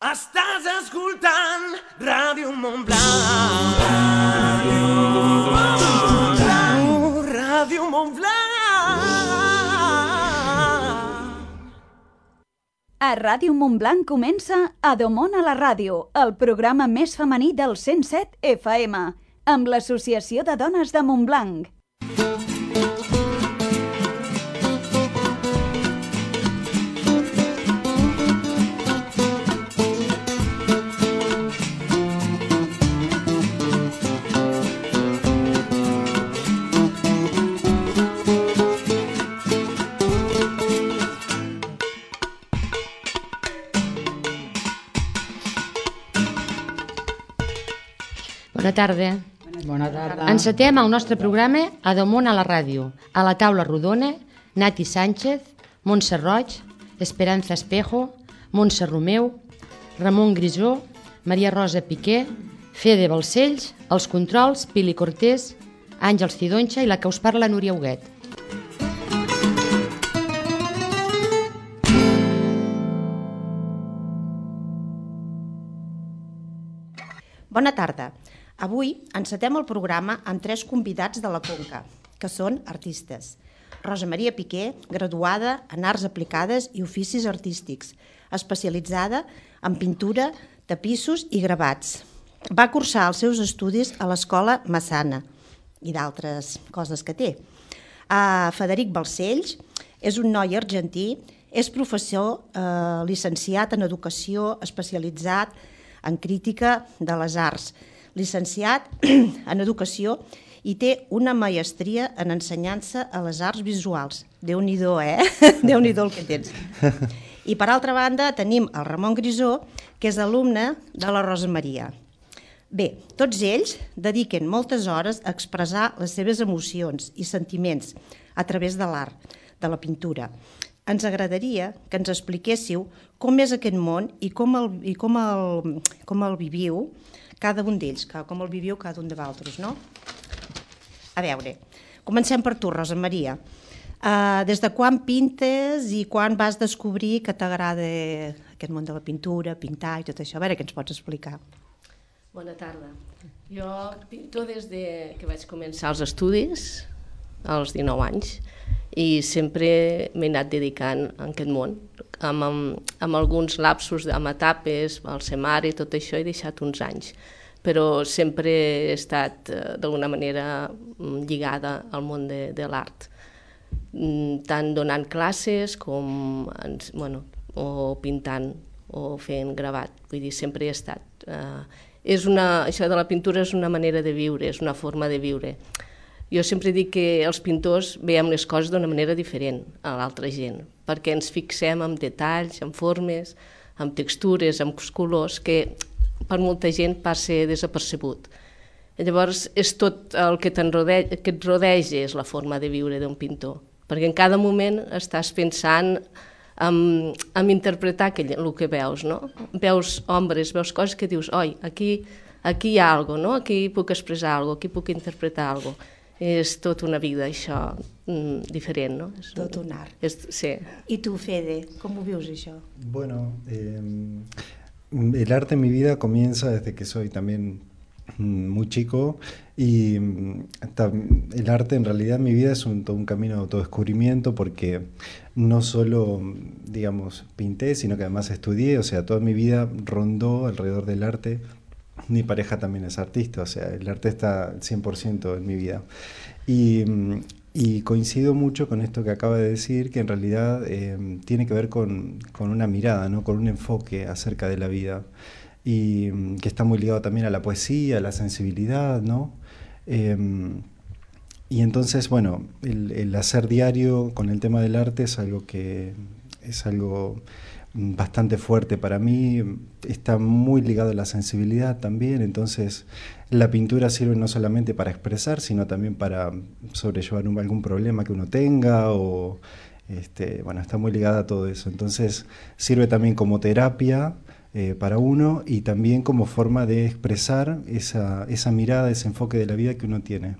Estàs escoltant Ràdio Montblanc. Ràdio Montblanc. A Ràdio Montblanc comença Adomon a la ràdio, el programa més femení del 107 FM, amb l'Associació de Dones de Montblanc. Bona tarda. Bona tarda. Encetem el nostre programa Adomon a la ràdio. A la taula rodona, Nati Sánchez, Montse Roig, Esperanza Espejo, Montse Romeu, Ramon Grisó, Maria Rosa Piqué, Fede Balcells, els controls, Pili Cortés, Àngels Cidonxa i la que us parla, Núria Huguet. Bona tarda. Avui encetem el programa amb 3 convidats de la Conca, que són artistes. Rosa Maria Piqué, graduada en Arts Aplicades i Oficis Artístics, especialitzada en pintura, tapissos i gravats. Va cursar els seus estudis a l'Escola Massana i d'altres coses que té. Frederic Balcells és un noi argentí, és professor llicenciat en Educació, especialitzat en Crítica de les Arts, llicenciat en Educació i té una maestria en Ensenyança a les Arts Visuals. Déu-n'hi-do, Déu-n'hi-do el que tens. I per altra banda tenim el Ramon Grisó, que és alumne de la Rosa Maria. Bé, tots ells dediquen moltes hores a expressar les seves emocions i sentiments a través de l'art, de la pintura. Ens agradaria que ens expliquéssiu com és aquest món i com el viviu cada un d'ells, com el viviu cada un de vosaltres, no? A veure, comencem per tu, Rosa Maria. Des de quan pintes i quan vas descobrir que t'agrada aquest món de la pintura, pintar i tot això? A veure, què ens pots explicar? Bona tarda. Jo pinto des que vaig començar els estudis, als 19 anys, i sempre m'he anat dedicant a aquest món. Amb alguns lapsos, amb etapes, al semar i tot això, he deixat uns anys, però sempre he estat d'alguna manera lligada al món de l'art, tant donant classes com o pintant o fent gravat. Vull dir, sempre he estat. Això de la pintura és una manera de viure, és una forma de viure. Jo sempre dic que els pintors veiem les coses d'una manera diferent a l'altra gent, perquè ens fixem en detalls, en formes, en textures, en colors, que per molta gent passa desapercebut. Llavors, és tot el que et rodeja és la forma de viure d'un pintor, perquè en cada moment estàs pensant en interpretar el que veus, no? Veus ombres, veus coses que dius, oi, aquí hi ha alguna cosa, no? Aquí puc expressar alguna cosa, aquí puc interpretar alguna cosa. És tot una vida, això, diferent, ¿no? Tot un art. Sí. I tu, Fede, com ho vius, això? Bueno, el arte en mi vida comienza desde que soy también muy chico y el arte en realidad en mi vida es todo un camino de autodescubrimiento porque no solo, digamos, pinté, sino que además estudié, o sea, toda mi vida rondó alrededor del arte. Mi pareja también es artista, o sea, el arte está 100% en mi vida. Y coincido mucho con esto que acaba de decir, que en realidad tiene que ver con una mirada, ¿no? Con un enfoque acerca de la vida, y que está muy ligado también a la poesía, a la sensibilidad, ¿no? Y entonces, bueno, el hacer diario con el tema del arte es algo bastante fuerte para mí, está muy ligado a la sensibilidad también, entonces la pintura sirve no solamente para expresar, sino también para sobrellevar algún problema que uno tenga, o está muy ligada a todo eso, entonces sirve también como terapia para uno y también como forma de expresar esa mirada, ese enfoque de la vida que uno tiene.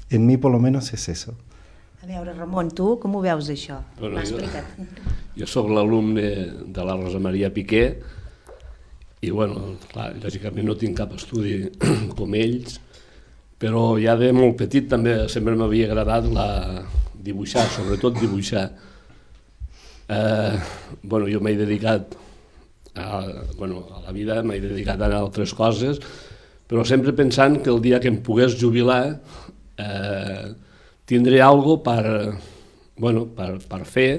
En mí por lo menos es eso. A veure, Ramon, tu com ho veus, això? Bueno, jo soc l'alumne de la Rosa Maria Piqué I, bueno, clar, lògicament no tinc cap estudi com ells, però ja de molt petit també sempre m'havia agradat dibuixar, sobretot dibuixar. Bueno, jo m'he dedicat a la vida, m'he dedicat a altres coses, però sempre pensant que el dia que em pogués jubilar tindré alguna cosa per fer,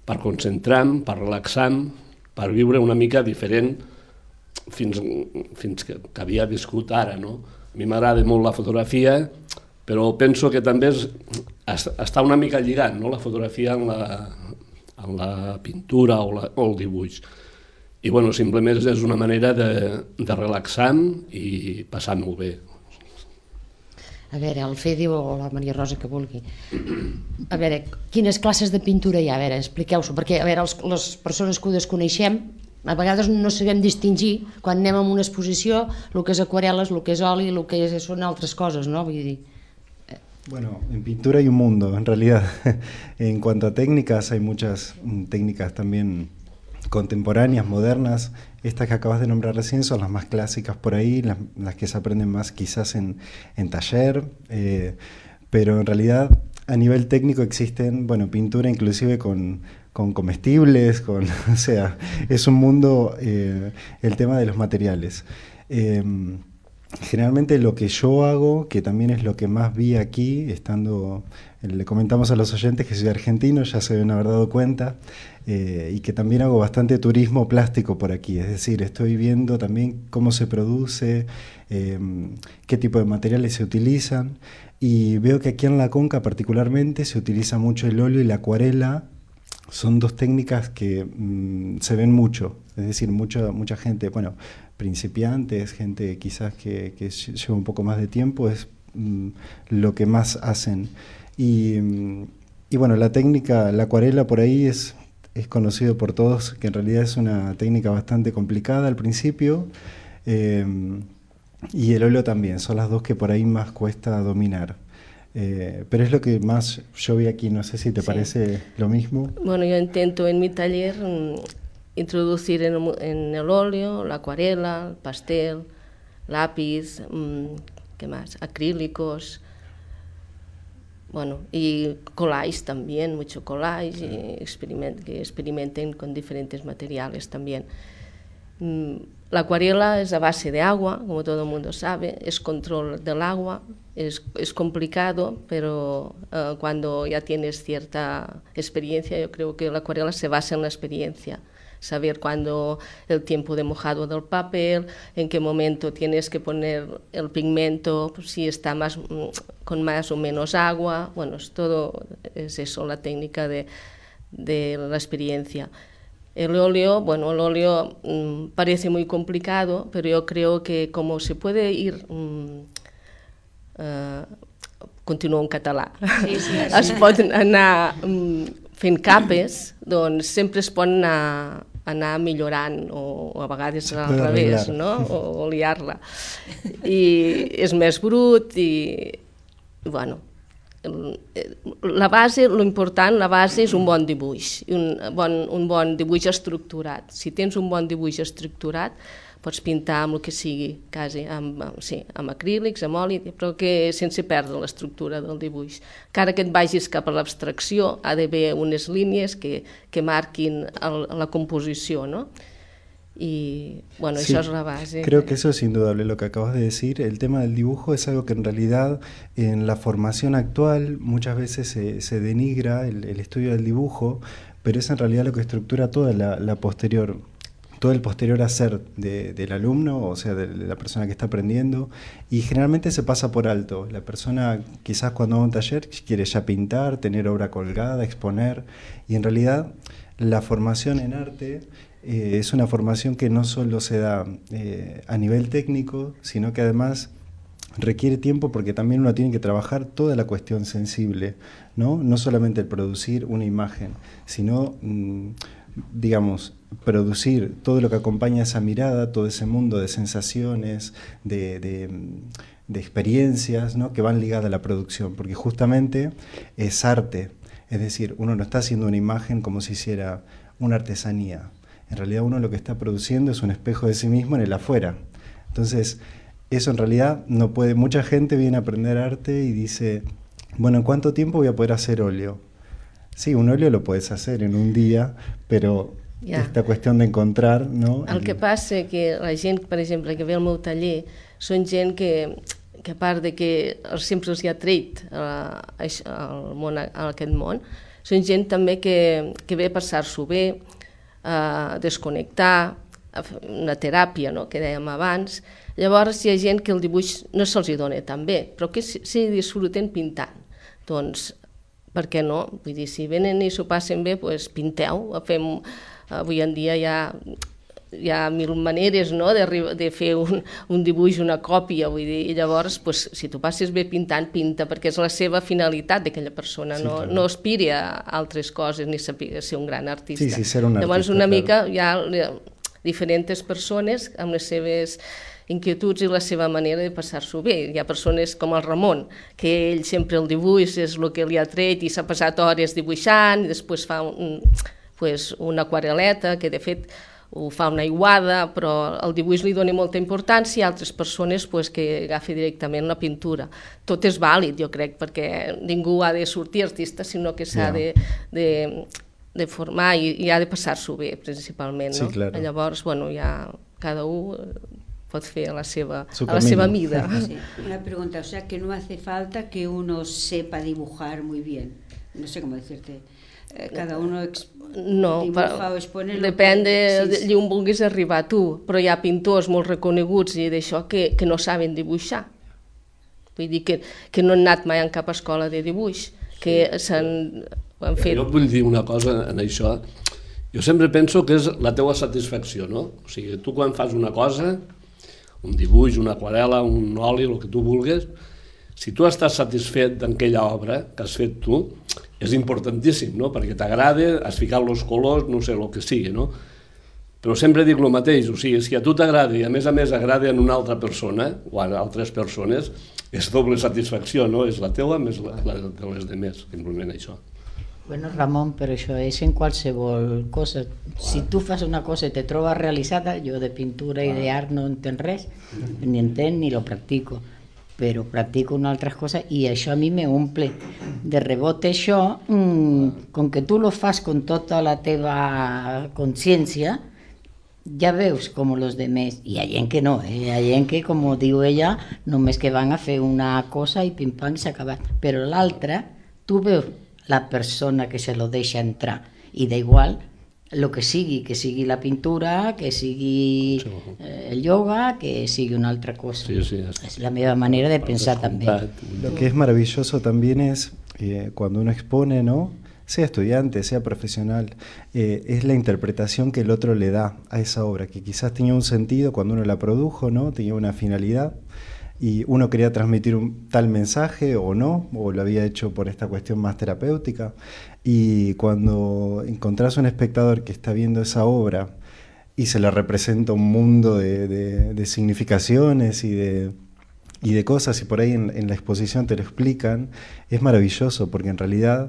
per concentrar-me, per relaxar-me, per viure una mica diferent fins que havia viscut ara, no? A mi m'agrada molt la fotografia, però penso que també està una mica lligat, no?, la fotografia en la pintura o el dibuix. I, bueno, simplement és una manera de relaxar-me i passar-m'ho bé. A veure, el Fede o la Maria Rosa, que vulgui. A veure, quines classes de pintura hi ha? A veure, expliqueu-s'ho, perquè a veure, les persones que ho desconeixem, a vegades no sabem distingir, quan anem a una exposició, el que és aquarel·les, el que és oli, el que són altres coses, no? Vull dir... Bueno, en pintura hay un mundo, en realidad. En cuanto a técnicas, hay muchas técnicas también contemporáneas, modernas. Estas que acabas de nombrar recién son las más clásicas por ahí, las que se aprenden más quizás en taller, pero en realidad a nivel técnico existen, bueno, pintura inclusive con comestibles, o sea, es un mundo, el tema de los materiales. Generalmente lo que yo hago, que también es lo que más vi aquí, le comentamos a los oyentes que soy argentino, ya se deben haber dado cuenta, y que también hago bastante turismo plástico por aquí, es decir, estoy viendo también cómo se produce, qué tipo de materiales se utilizan, y veo que aquí en La Conca particularmente se utiliza mucho el óleo y la acuarela. Son dos técnicas que se ven mucho, es decir, mucha gente, bueno, principiantes, gente quizás que lleva un poco más de tiempo, es lo que más hacen. Y bueno, la técnica, la acuarela por ahí es conocido por todos, que en realidad es una técnica bastante complicada al principio, y el óleo también, son las dos que por ahí más cuesta dominar. Pero es lo que más yo vi aquí, no sé si te parece lo mismo. Bueno, yo intento en mi taller introducir en el óleo, la acuarela, el pastel, lápiz, ¿qué más? Acrílicos, bueno, y collage también, mucho collage, y que experimenten con diferentes materiales también. La acuarela es a base de agua, como todo el mundo sabe, es control del agua, es complicado, pero cuando ya tienes cierta experiencia, yo creo que la acuarela se basa en la experiencia. Saber cuándo el tiempo de mojado del papel, en qué momento tienes que poner el pigmento, pues si está con más o menos agua, bueno, todo es eso, la técnica de la experiencia. El óleo parece muy complicado, pero yo creo que como se puede ir... continuo en català. Sí. Es pot anar fent capes, doncs sempre es pot anar millorant, o a vegades al revés, no? O liar-la. I és més brut i, bueno, la base, l'important, la base és un bon dibuix, un bon dibuix estructurat. Si tens un bon dibuix estructurat, pots pintar amb el que sigui, quasi, amb acrílics, amb oli, però que sense perdre l'estructura del dibuix. Encara que et vagis cap a l'abstracció, ha d'haver unes línies que marquin la composició, ¿no? Y bueno, sí, eso es la base. Creo que eso es indudable lo que acabas de decir. El tema del dibujo es algo que en realidad en la formación actual muchas veces se denigra el estudio del dibujo, pero es en realidad lo que estructura toda la posterior, todo el posterior hacer del alumno, o sea, de la persona que está aprendiendo, y generalmente se pasa por alto. La persona quizás cuando va a un taller quiere ya pintar, tener obra colgada, exponer, y en realidad la formación en arte es una formación que no solo se da a nivel técnico, sino que además requiere tiempo porque también uno tiene que trabajar toda la cuestión sensible, ¿no? No solamente el producir una imagen, sino, digamos, producir todo lo que acompaña esa mirada, todo ese mundo de sensaciones, de experiencias, ¿no? Que van ligadas a la producción, porque justamente es arte, es decir, uno no está haciendo una imagen como si hiciera una artesanía. en realidad uno lo que está produciendo es un espejo de sí mismo en el afuera. Entonces, eso en realidad no puede, mucha gente viene a aprender arte y dice, bueno, ¿en cuánto tiempo voy a poder hacer óleo? Sí, un óleo lo puedes hacer en un día, però esta qüestió d'encontrar, no? El que passa que la gent, per exemple, que ve al meu taller, són gent que a part de que sempre els hi ha tret aquest món, són gent també que ve a passar-s'ho bé, a desconnectar, a fer una teràpia, no?, que dèiem abans. Llavors hi ha gent que el dibuix no se'ls dona tan bé, però que sí disfruten pintant. Doncs, per què no? Vull dir, si venen i s'ho passen bé, doncs pinteu. Avui en dia hi ha mil maneres, no?, de fer un dibuix, una còpia, vull dir, i llavors, doncs, si tu passes bé pintant, pinta, perquè és la seva finalitat d'aquella persona, sí, no aspiri a altres coses ni saber ser un gran artista. Sí, ser un artista. Llavors, una mica hi ha diferents persones amb les seves inquietuds i la seva manera de passar-s'ho bé. Hi ha persones com el Ramon, que ell sempre el dibuix és el que li ha tret i s'ha passat hores dibuixant i després fa una aquarel·leta, que de fet ho fa una aiguada, però el dibuix li dona molta importància, i altres persones que agafi directament la pintura. Tot és vàlid, jo crec, perquè ningú ha de sortir artista, sinó que s'ha de formar i ha de passar-s'ho bé, principalment. Sí, claro. Llavors, bueno, ja cada un pot fer a la seva mida. Sí. Una pregunta, o sea que no hace falta que uno sepa dibujar muy bien, no sé cómo decirte. Cada uno dibuja o expone... Depèn d'allà on vulguis arribar tu, però hi ha pintors molt reconeguts i d'això que no saben dibuixar. Vull dir que no han anat mai en cap escola de dibuix, que ho han fet... Jo vull dir una cosa en això. Jo sempre penso que és la teua satisfacció, no? O sigui, tu quan fas una cosa, un dibuix, una aquarel·la, un oli, el que tu vulguis, si tu estàs satisfet d'aquella obra que has fet tu, és importantíssim, no?, perquè t'agrada, has ficat els colors, no sé, el que sigui, no? Però sempre dic el mateix, o sigui, si a tu t'agrada i a més agrada en una altra persona o a altres persones, és doble satisfacció, no? És la teua més la de les demés, simplement això. Bueno, Ramon, però això és en qualsevol cosa. Si tu fas una cosa i te trobes realitzada, jo de pintura i d'art no entenc res, ni entenc ni lo practico, però practico una altra cosa i això a mi me omple. De rebote això, com que tu lo fas con tota la teva consciència, ja veus com els demés, i hi ha gent que no, hi ha gent que, com diu ella, només que van a fer una cosa i pim-pam i s'ha acabat, però l'altra, tu veus la persona que se lo deixa entrar, i d'igual el que sigui la pintura, que sigui el yoga, que sigui una altra cosa. Sí, es la meva manera de pensar también. Lo que es maravilloso también es cuando uno expone, ¿no?, sea estudiante, sea profesional, es la interpretación que el otro le da a esa obra, que quizás tenía un sentido cuando uno la produjo, ¿no?, tenía una finalidad, y uno quería transmitir un tal mensaje o no, o lo había hecho por esta cuestión más terapéutica, y cuando encontrás un espectador que está viendo esa obra y se le representa un mundo de significaciones y de cosas, y por ahí en la exposición te lo explican, es maravilloso, porque en realidad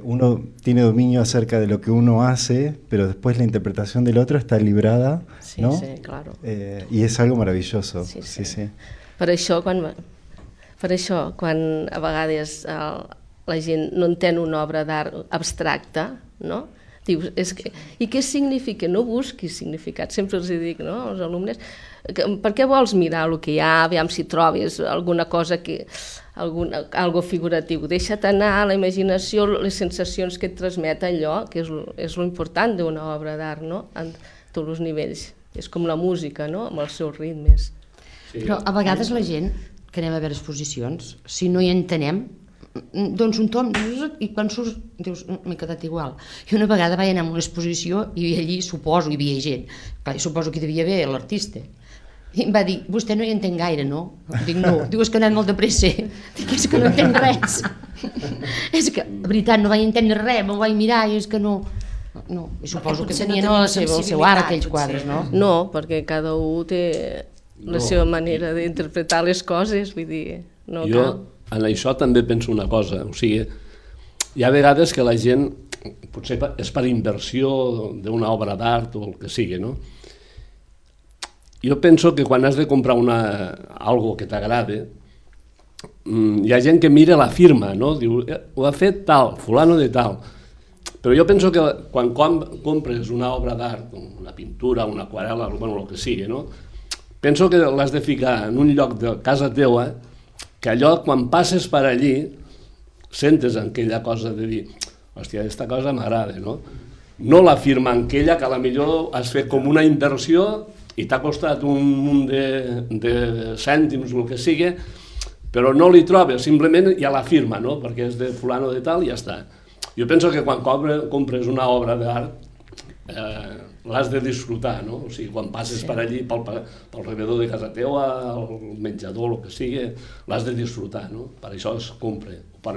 uno tiene dominio acerca de lo que uno hace, pero después la interpretación del otro está librada, ¿no? Sí, claro. Y es algo maravilloso. Sí. Per això, quan a vegades la gent no entén una obra d'art abstracta, no?, dius, i què significa? No busquis significat, sempre els dic, no?, als alumnes, per què vols mirar el que hi ha, aviam si trobes alguna cosa algo figuratiu, deixa't anar a la imaginació, les sensacions que et transmet allò, que és lo important d'una obra d'art, no?, en tots els nivells, és com la música, no?, amb els seus ritmes. Però a vegades la gent que anem a veure exposicions, si no hi entenem, doncs un tom i quan surts dius, m'he quedat igual. I una vegada vaig anar a una exposició i allí suposo hi havia gent, clar, suposo que hi devia haver l'artista, i em va dir, vostè no hi entén gaire, no? Dic, no. Diu, és que ha anat molt de pressa. Dic, és que no entenc res. És que, de veritat, no vaig entendre res, m'ho vaig mirar i és que no, i suposo que tenien el seu art aquells quadres, no? No, perquè cada un té la seva manera d'interpretar les coses, vull dir, no cal. Jo en això també penso una cosa, o sigui, hi ha vegades que la gent potser és per inversió d'una obra d'art o el que sigui, no? Jo penso que quan has de comprar algo que t'agrada, hi ha gent que mira la firma, no? Diu, ho ha fet tal, fulano de tal. Però jo penso que quan compres una obra d'art, una pintura, una aquarel·la, bueno, el que sigui, no? Penso que l'has de ficar en un lloc de casa teua, que allò, quan passes per allí, sentes aquella cosa de dir, hòstia, aquesta cosa m'agrada, no? No la firma aquella que a la millor has fet com una inversió i t'ha costat un munt de cèntims o el que sigui, però no li trobes, simplement hi ha la firma, no? Perquè és de fulano de tal i ja està. Jo penso que quan compres una obra d'art l'has de disfrutar, no? O sigui, quan passes per allí, pel rebedor de casa teua, al menjador, el que sigui, l'has de disfrutar, no? Per això es compra. La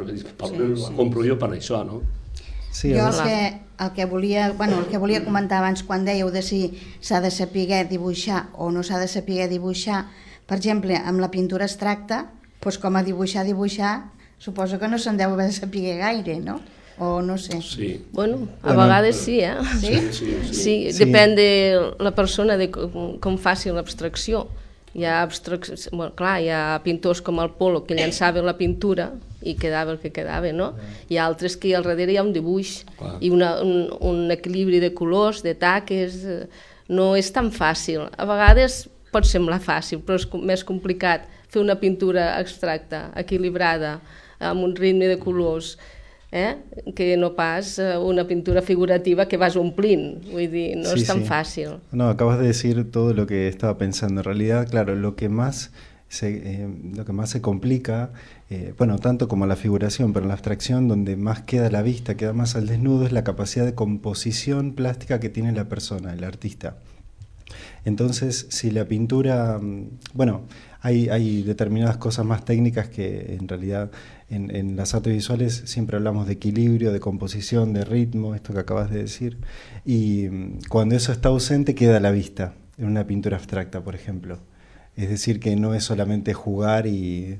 compro jo per això, no? Sí, jo el que volia comentar abans quan dèieu de si s'ha de saber dibuixar o no s'ha de saber dibuixar, per exemple, amb la pintura abstracta, doncs com a dibuixar, suposo que no se'n deu haver de saber gaire, no? O no sé. Sí. Bueno, a vegades sí, eh? Sí, depèn de la persona, de com faci l'abstracció. Hi ha pintors com el Polo que llançava la pintura i quedava el que quedava, no? Hi ha altres que al darrere hi ha un dibuix i un equilibri de colors, de taques, no és tan fàcil. A vegades pot semblar fàcil, però és més complicat fer una pintura abstracta, equilibrada, amb un ritme de colors, que no pas una pintura figurativa que vas omplint, vull dir, no es tan fácil. No, acabas de decir todo lo que estaba pensando. En realidad, claro, lo que más se complica, bueno, tanto como la figuración, pero en la abstracción, donde más queda la vista, queda más al desnudo, es la capacidad de composición plástica que tiene la persona, el artista. Entonces, si la pintura, bueno, hay determinadas cosas más técnicas que en realidad en las artes visuales siempre hablamos de equilibrio, de composición, de ritmo, esto que acabas de decir, y cuando eso está ausente queda a la vista, en una pintura abstracta, por ejemplo. Es decir, que no es solamente jugar y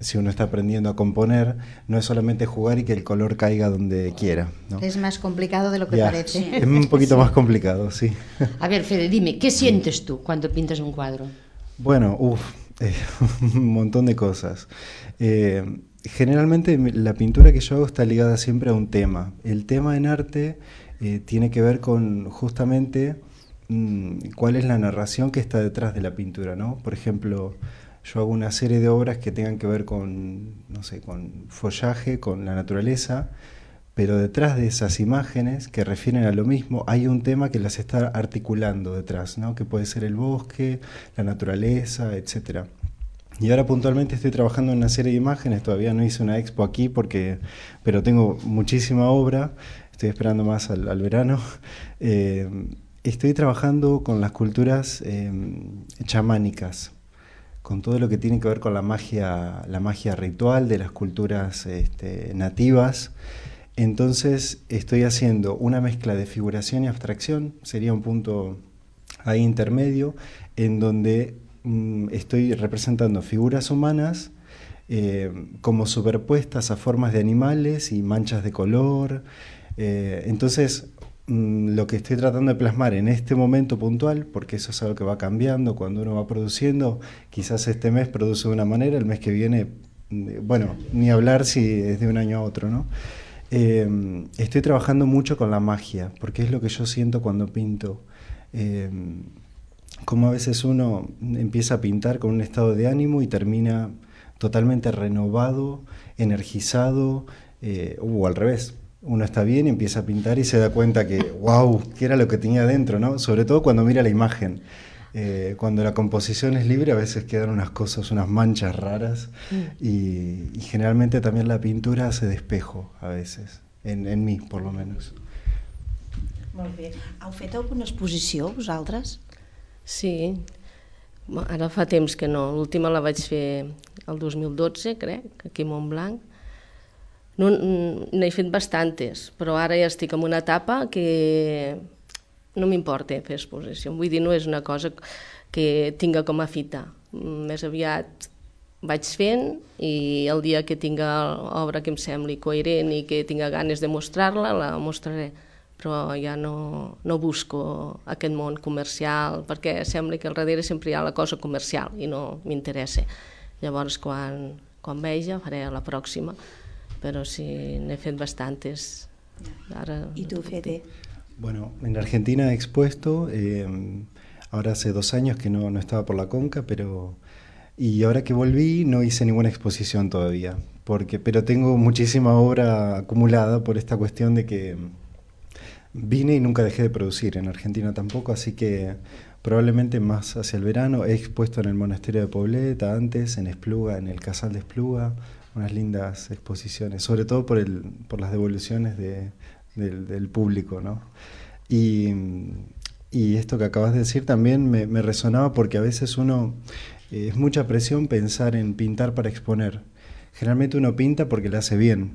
si uno está aprendiendo a componer, no es solamente jugar y que el color caiga donde quiera, ¿no? Es más complicado de lo que parece. Es un poquito más complicado, sí. A ver, Fede, dime, ¿qué sientes tú cuando pintas un cuadro? Bueno, un montón de cosas. Generalmente la pintura que yo hago está ligada siempre a un tema. El tema en arte tiene que ver con justamente cuál es la narración que está detrás de la pintura, ¿no? Por ejemplo, yo hago una serie de obras que tengan que ver con, no sé, con follaje, con la naturaleza, pero detrás de esas imágenes que refieren a lo mismo hay un tema que las está articulando detrás, ¿no? Que puede ser el bosque, la naturaleza, etcétera. Y ahora puntualmente estoy trabajando en una serie de imágenes, todavía no hice una expo aquí pero tengo muchísima obra, estoy esperando más al verano. Estoy trabajando con las culturas chamánicas, con todo lo que tiene que ver con la magia ritual de las culturas nativas. Entonces estoy haciendo una mezcla de figuración y abstracción, sería un punto ahí intermedio, en donde estoy representando figuras humanas como superpuestas a formas de animales y manchas de color. Entonces lo que estoy tratando de plasmar en este momento puntual, porque eso es algo que va cambiando cuando uno va produciendo, quizás este mes produce de una manera, el mes que viene, bueno, ni hablar si es de un año a otro, ¿no? Estoy trabajando mucho con la magia, porque es lo que yo siento cuando pinto. Como a veces uno empieza a pintar con un estado de ánimo y termina totalmente renovado, energizado, o al revés. Uno está bien y empieza a pintar y se da cuenta que, wow, ¿qué era lo que tenía dentro, ¿no? Sobre todo cuando mira la imagen. Cuando la composición es libre a veces quedan unas cosas, unas manchas raras y generalmente también la pintura hace de espejo a veces, en mí por lo menos. Molt bé. Heu fet alguna exposició vosaltres? Sí, ara fa temps que no, l'última la vaig fer el 2012 crec, aquí a Montblanc. N'he fet bastantes, però ara ja estic en una etapa que no m'importa fer exposició, vull dir, no és una cosa que tinga com a fita, més aviat vaig fent i el dia que tinga obra que em sembli coherent i que tinga ganes de mostrar-la, la mostraré. Però ja no busco aquest món comercial, perquè sembla que al darrere sempre hi ha la cosa comercial i no m'interessa. Llavors, quan vegi, faré la pròxima, però sí, n'he fet bastantes. ¿Y tú, Fede? Bueno, en Argentina he expuesto, ahora hace 2 años que no estaba por la Conca, y ahora que volví no hice ninguna exposición todavía, pero tengo muchísima obra acumulada por esta cuestión de que vine y nunca dejé de producir, en Argentina tampoco, así que probablemente más hacia el verano. He expuesto en el monasterio de Pobleta antes, en Espluga, en el Casal de Espluga, unas lindas exposiciones, sobre todo por las devoluciones del público, ¿no? Y esto que acabas de decir también me resonaba, porque a veces es mucha presión pensar en pintar para exponer. Generalmente uno pinta porque le hace bien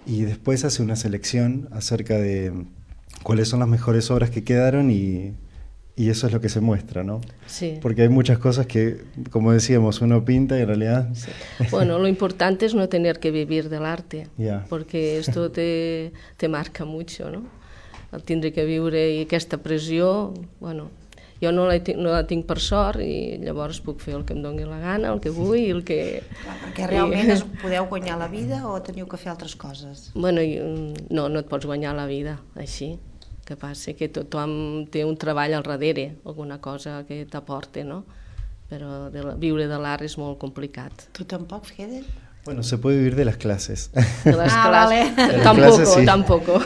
y después hace una selección acerca de cuáles son las mejores obras que quedaron y eso es lo que se muestra, ¿no? Sí. Porque hay muchas cosas que, como decíamos, uno pinta y en realidad... Sí. Bueno, lo importante es no tener que vivir del arte, porque esto te marca mucho, ¿no? El tindre que viure i aquesta pressió, bueno, jo no la tinc per sort i llavors puc fer el que em doni la gana, el que vull i el que... Clar, perquè realment podeu guanyar la vida o teniu que fer altres coses? Bueno, no et pots guanyar la vida així. Que passa que tothom té un treball al darrere, alguna cosa que t'aporta, no? Però viure de l'art és molt complicat. Tu tampoc, Fede? Bueno, se puede vivir de las clases. De las clases. Vale. Tampoco.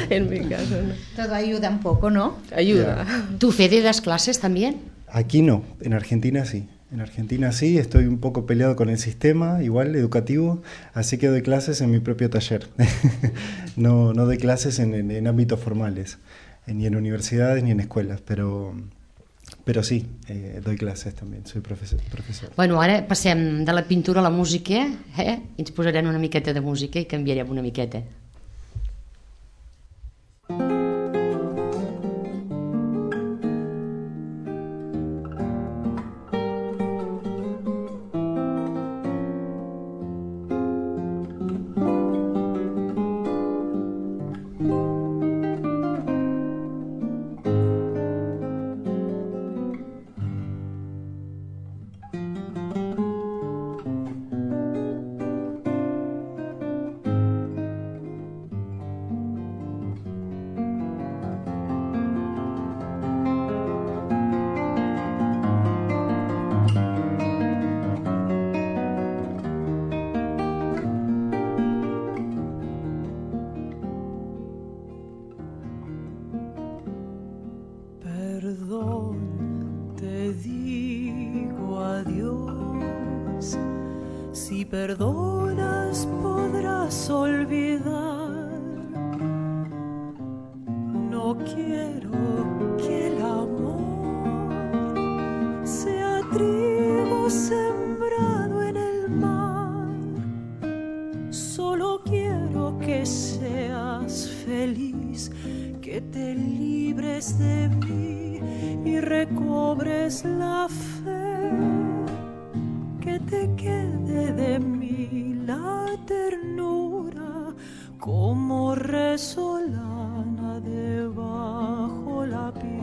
En mi caso, no. Todo ayuda un poco, ¿no? Ayuda. ¿Tú, Fede, das clases también? Aquí no, en Argentina sí. En Argentina sí, estoy un poco peleado con el sistema, igual, educativo, así que doy clases en mi propio taller. No doy clases en ámbitos formales, ni en universidades ni en escuelas, pero sí, doy clases también, soy profesor. Bueno, ara passem de la pintura a la música, i ens posarem una miqueta de música i canviarem una miqueta. Perdonas, podrás olvidar. No quiero que el amor sea trigo sembrado en el mar. Solo quiero que seas feliz, que te libres de mí y recobres la fe, que te quede de mí la ternura como resolana debajo la piel.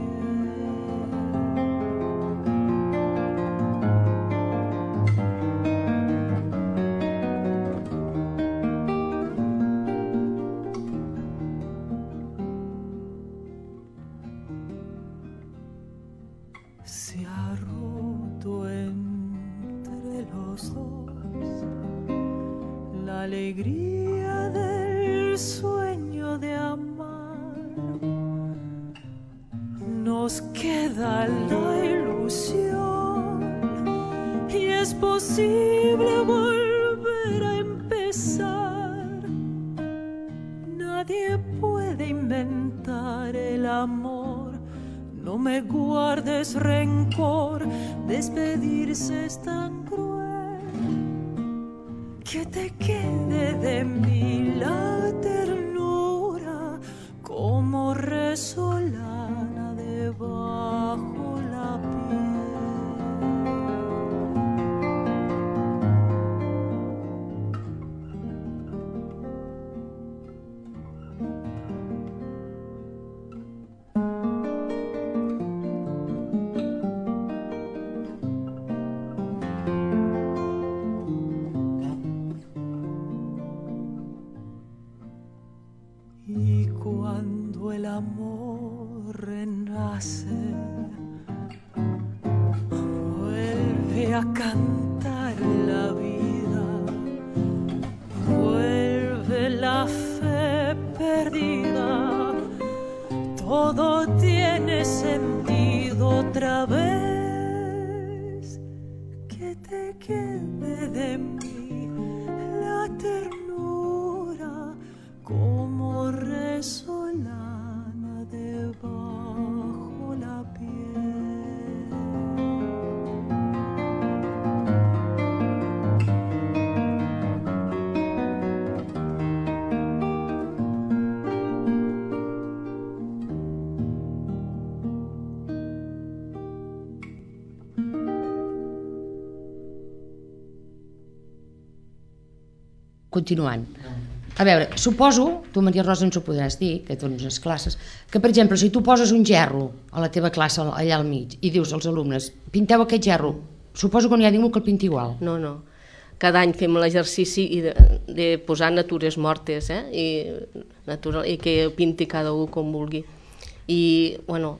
Se ha roto entre los dos la alegría del sueño de amar. Nos queda la ilusión y es posible volver a empezar. Nadie puede inventar el amor. No me guardes rencor, despedirse es tan cruel. Que te quede de mí la ternura como resolana debajo la piel. amor renace, vuelve a cantar la vida, vuelve la fe perdida, todo tiene sentido otra vez, que te quede de mí la ternura como resolana debajo la piel. Continuant. A veure, suposo, tu Maria Rosa ens ho podràs dir, que dones les classes, que per exemple, si tu poses un gerro a la teva classe allà al mig i dius als alumnes, pinteu aquest gerro, suposo que no hi ha ningú que el pinti igual. No, no. Cada any fem l'exercici de posar natures mortes, i que pinti cada un com vulgui. I, bueno,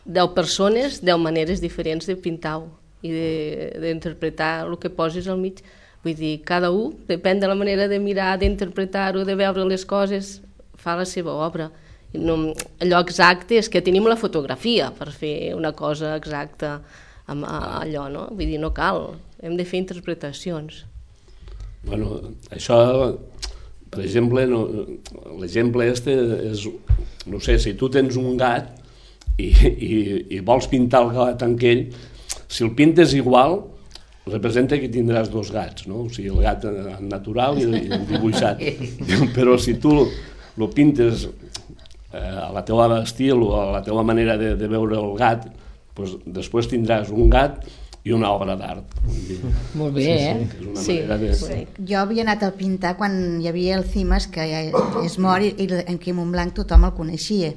10 persones, 10 maneres diferents de pintar-ho i d'interpretar el que posis al mig. Vull dir, cada un, depèn de la manera de mirar, d'interpretar-ho, de veure les coses, fa la seva obra. No, allò exacte és que tenim la fotografia per fer una cosa exacta amb allò, no? Vull dir, no cal, hem de fer interpretacions. Bueno, això, per exemple, l'exemple este és, no sé, si tu tens un gat i vols pintar el gat amb ell, si el pintes igual, representa que tindràs 2 gats, no? O sigui, el gat natural i el dibuixat. Però si tu el pintes a la teva estil o a la teva manera de veure el gat, doncs després tindràs un gat i una obra d'art. Molt bé, Sí. Jo havia anat a pintar quan hi havia el Cimas, que és mort, i en Quim Montblanc tothom el coneixia.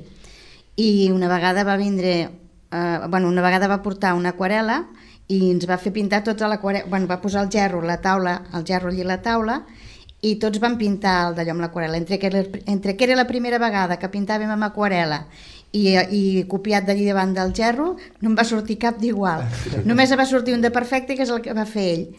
I una vegada va vindre, una vegada va portar una aquarel·la i ens va fer pintar tota l'aquarel·la, va posar el gerro allí a la taula, i tots van pintar d'allò amb l'aquarel·la. Entre que era la primera vegada que pintàvem amb aquarel·la i copiat d'allí davant del gerro, no em va sortir cap d'igual. Només va sortir un de perfecte, que és el que va fer ell.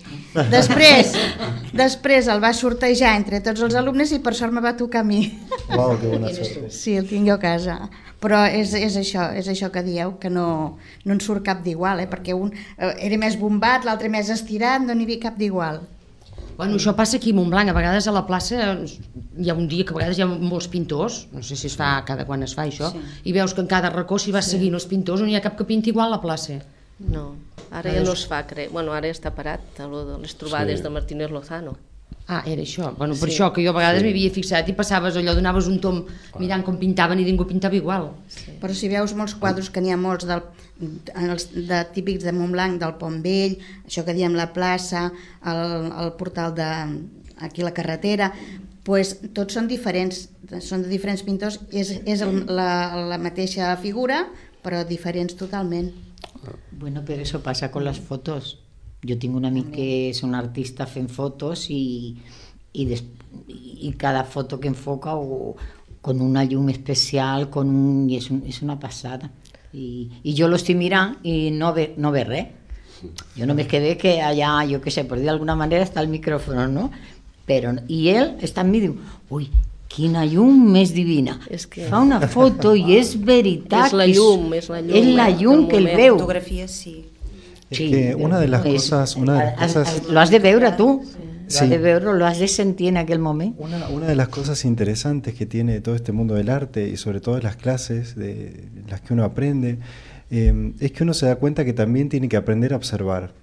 Després el va sortejar entre tots els alumnes i per sort me va tocar a mi. Uau, que bona sort. Sí, el tinc jo a casa. Però és això que dieu, que no en surt cap d'igual, perquè un era més bombat, l'altre més estirat, no n'hi havia cap d'igual. Bueno, això passa aquí a Montblanc, a vegades a la plaça hi ha un dia que a vegades hi ha molts pintors, no sé si es fa cada quan es fa això, i veus que en cada racó si vas seguint els pintors no hi ha cap que pinti igual a la plaça. No, ara ja no es fa, bueno, ara està parat, les trobades de Martínez Lozano. Ah, era això. Bueno, per això, que jo a vegades m'hi havia fixat i passaves allò, donaves un tom mirant com pintaven i ningú pintava igual. Sí. Però si veus molts quadros, que n'hi ha molts típics de Montblanc, del Pont Vell, això que diem la plaça, el portal aquí a la carretera, pues, tots són diferents, són de diferents pintors, és la mateixa figura, però diferents totalment. Bueno, pero eso pasa con las fotos. Yo tengo un amigo que es un artista fent fotos y cada foto que enfoca con una llum especial, y es una pasada. Y yo lo estoy mirando y no ve res. Yo no me quedé que allá, yo qué sé, por de alguna manera está el micrófono, ¿no? Y él está en mí y diu, ui, quina llum més divina. Fa una foto i és veritat. És la llum. És la llum que el veu. Fotografia, sí. Es que una de las cosas... Lo has de veure tú. Sí. Lo has de veure, lo has de sentir en aquel momento. Una de las cosas interesantes que tiene todo este mundo del arte y sobre todo las clases de las que uno aprende es que uno se da cuenta que también tiene que aprender a observar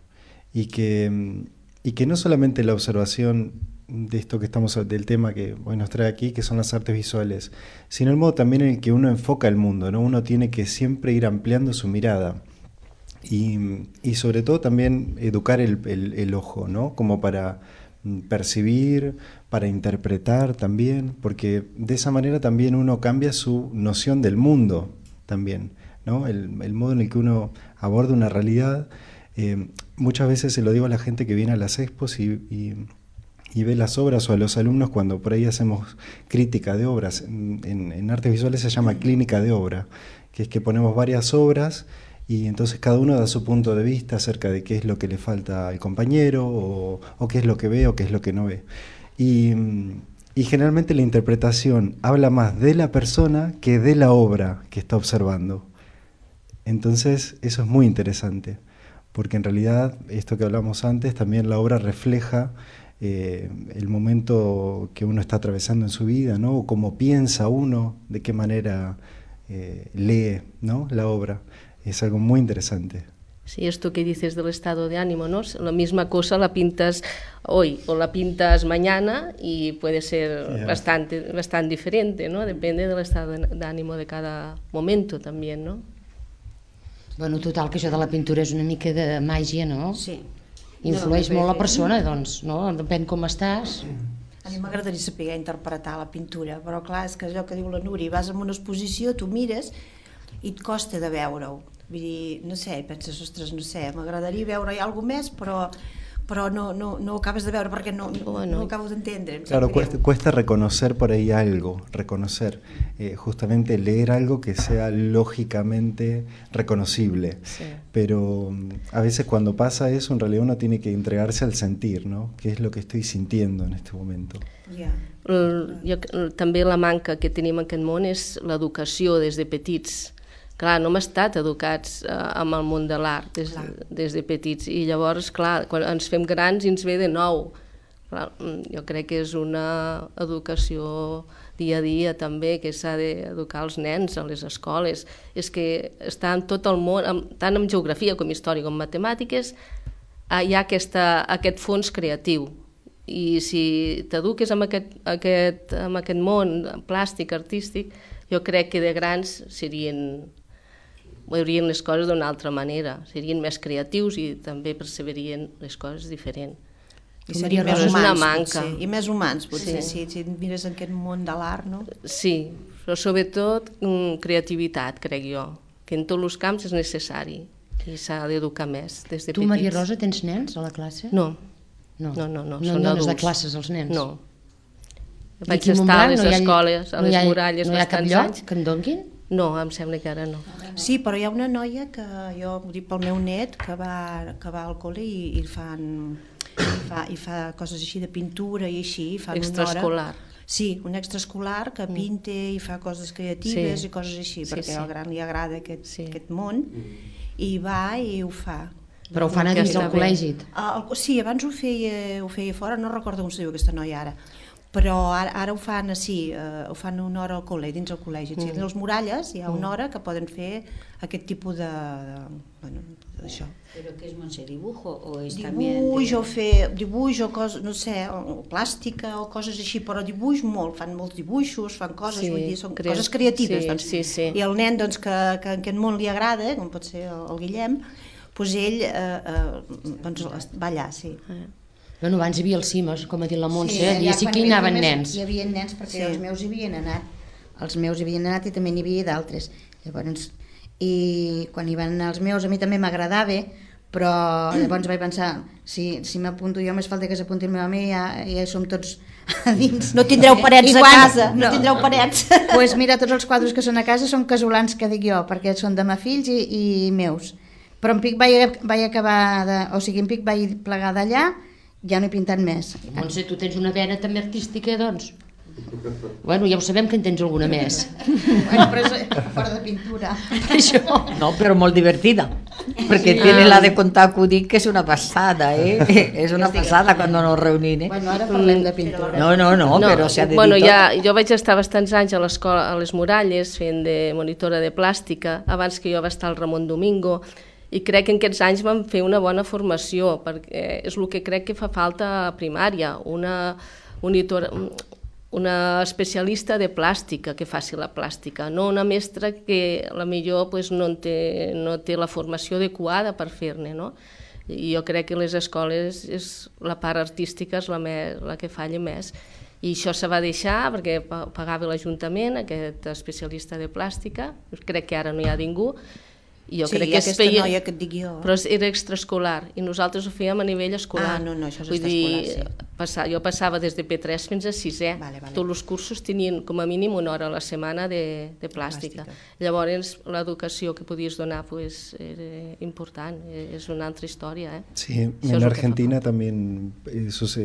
y que no solamente la observación de esto que estamos, del tema que hoy nos trae aquí, que son las artes visuales, sino el modo también en el que uno enfoca el mundo, ¿no? Uno tiene que siempre ir ampliando su mirada. Y sobre todo también educar el ojo, ¿no? Como para percibir, para interpretar también, porque de esa manera también uno cambia su noción del mundo también, ¿no? El modo en el que uno aborda una realidad. Muchas veces se lo digo a la gente que viene a las expos y y ve las obras, o a los alumnos cuando por ahí hacemos crítica de obras. En artes visuales se llama clínica de obra, que es que ponemos varias obras y entonces cada uno da su punto de vista acerca de qué es lo que le falta al compañero o qué es lo que ve o qué es lo que no ve. Y generalmente la interpretación habla más de la persona que de la obra que está observando. Entonces eso es muy interesante, porque en realidad esto que hablamos antes, también la obra refleja el momento que uno está atravesando en su vida, ¿no? O cómo piensa uno, de qué manera lee, ¿no?, la obra. Es algo muy interesante. Sí, esto que dices del estado de ánimo, ¿no? La misma cosa la pintas hoy o la pintas mañana y puede ser bastante diferente, ¿no? Depende del estado de ánimo de cada momento también, ¿no? Bueno, total, que això de la pintura és una mica de màgia, no? Sí. Influeix molt la persona, doncs, no? Depèn com estàs. A mi m'agradaria saber interpretar la pintura, però clar, és que allò que diu la Núria, vas a una exposició, tu mires i et costa de veure-ho. Vull dir, no sé, penses, ostres, no sé, m'agradaria veure alguna més, però no ho acabes de veure perquè no acabo d'entendre. Claro, cuesta reconocer por ahí algo, justamente leer algo que sea lógicamente reconocible. Sí. Pero a veces cuando pasa eso, en realidad uno tiene que entregarse al sentir, ¿no? ¿Qué es lo que estoy sintiendo en este momento? Yeah. També la manca que tenim en aquest món és l'educació des de petits. Clar, no hem estat educats amb el món de l'art des de petits i llavors, clar, quan ens fem grans i ens ve de nou. Clar, jo crec que és una educació dia a dia també, que s'ha d'educar els nens a les escoles. És que està en tot el món, tant en geografia com història com matemàtiques, hi ha aquest fons creatiu. I si t'eduques amb aquest món plàstic, artístic, jo crec que de grans veurien les coses d'una altra manera, serien més creatius i també perceberien les coses diferent. I serien més humans, potser. I més humans, potser, si mires en aquest món de l'art, no? Sí, però sobretot creativitat, crec jo, que en tots els camps és necessari i s'ha d'educar més des de petits. Tu, Maria Rosa, tens nens a la classe? No. No dones de classes als nens? No. Vaig estar a les escoles, a les muralles, no hi ha cap lloc que en donguin? No, em sembla que ara no. Sí, però hi ha una noia que jo ho dic pel meu net que va al col·le i fa coses així de pintura i així. Extraescolar. Sí, un extraescolar que pinta i fa coses creatives i coses així, perquè al gran li agrada aquest món i va i ho fa. Però ho fan a dins del col·legi? Sí, abans ho feia fora, no recordo com es diu aquesta noia ara. Però ara ho fan així, ho fan una hora al col·le, dins el col·legi. Si a les muralles hi ha una hora que poden fer aquest tipus d'això. ¿Pero qué es, Montse? ¿Dibujo o es dibuix o coses, no sé, plàstica o coses així, però dibuix molt, fan molts dibuixos, fan coses, vull dir, són coses creatives. Sí. I el nen doncs, que en aquest món li agrada, com pot ser el Guillem, doncs ell va allà, sí. Bueno, abans hi havia els cimes, com ha dit la Montse, i sí que hi anaven nens. Hi havia nens perquè els meus hi havien anat i també n'hi havia d'altres. I quan hi van anar els meus a mi també m'agradava, però llavors vaig pensar, si m'apunto jo més falta que s'apunti el meu amic, ja som tots a dins. No tindreu parets a casa, no tindreu parets. Doncs mira, tots els quadres que són a casa són casolans, que dic jo, perquè són de ma fills i meus. Però en Pic vaig acabar, en Pic vaig plegar d'allà, ja no he pintat més. Montse, tu tens una vena també artística, doncs? Bueno, ja ho sabem que en tens alguna més. Bueno, però és fora de pintura. Això. No, però molt divertida. Perquè tiene la de contar acudit, que és una passada, És una passada quan nos reunim, Bueno, ara parlem de pintura. No, però s'ha de dir tot. Bueno, jo vaig estar bastants anys a l'escola, a les Muralles, fent de monitora de plàstica, abans que jo va estar al Ramon Domingo, i crec que en aquests anys vam fer una bona formació, perquè és el que crec que fa falta a primària, una especialista de plàstica que faci la plàstica, no una mestra que potser no té la formació adequada per fer-ne, no? I jo crec que les escoles la part artística és la que falla més. I això se va deixar perquè pagava l'Ajuntament, aquest especialista de plàstica, crec que ara no hi ha ningú, I jo sí, crec que aquesta noia que et dic jo. Però era extraescolar i nosaltres ho fèiem a nivell escolar. No, això és extraescolar, sí. Jo passava des de P3 fins a 6è. Vale. Tots els cursos tenien com a mínim una hora a la setmana de plàstica. Llavors l'educació que podies donar pues, era important, és una altra història. Sí, en Argentina también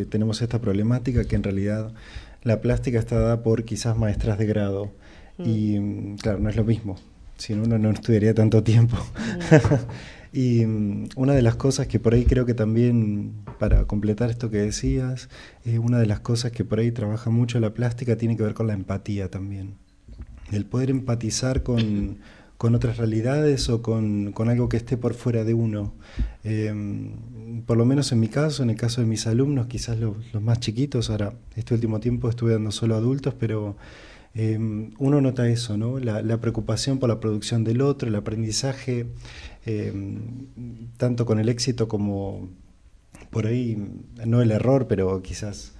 tenemos esta problemática que en realidad la plástica está dada por quizás maestras de grado y claro, no es lo mismo. Si no, uno no estudiaría tanto tiempo. Y una de las cosas que por ahí creo que también, para completar esto que decías, una de las cosas que por ahí trabaja mucho la plástica tiene que ver con la empatía también. El poder empatizar con otras realidades o con algo que esté por fuera de uno. Por lo menos en mi caso, en el caso de mis alumnos, quizás los más chiquitos, ahora este último tiempo estuve dando solo adultos, pero uno nota eso, ¿no? La preocupación por la producción del otro, el aprendizaje, tanto con el éxito como por ahí, no el error, pero quizás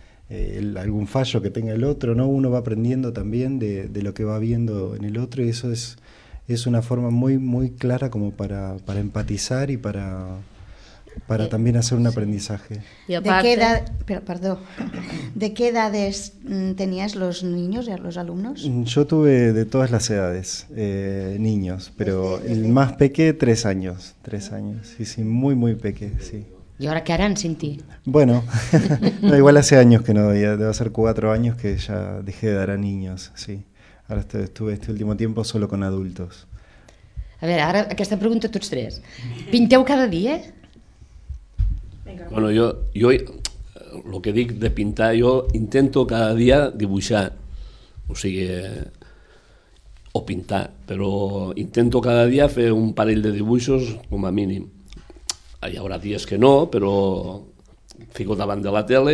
algún fallo que tenga el otro, ¿no? Uno va aprendiendo también de lo que va viendo en el otro y eso es una forma muy, muy clara como para empatizar y para también hacer un aprendizaje. Y aparte, ¿De qué edades tenías los niños, los alumnos? Yo tuve de todas las edades, niños, pero el más peque 3 años, sí, muy, muy peque, sí. ¿Y ahora qué harán sin ti? Bueno, no, igual hace años que no doy, debe ser 4 años que ya dejé de dar a niños, sí. Ahora estuve este último tiempo solo con adultos. A veure, ara aquesta pregunta a tots tres. Pinteu cada dia? Bueno, jo el que dic de pintar, jo intento cada dia dibuixar, o sigui, o pintar, però intento cada dia fer un parell de dibuixos com a mínim. Hi haurà dies que no, però fico davant de la tele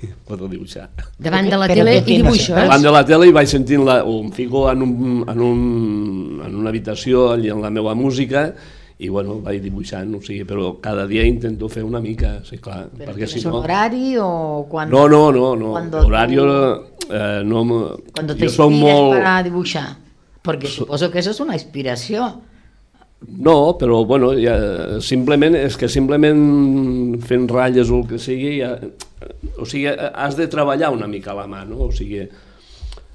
i pots dibuixar. Davant de la tele i dibuixos? Davant de la tele i vaig sentint, o em fico en una habitació allà en la meva música i bueno, vaig dibuixant, o sigui, però cada dia intento fer una mica, sí, clar. ¿Pero tienes un horario o No, cuando...? horario no... Cuando te inspiras para dibuixar, porque suposo que eso es una inspiració. No, però bueno, simplement és que simplement fent ratlles o el que sigui, o sigui, has de treballar una mica a la mà, no? O sigui,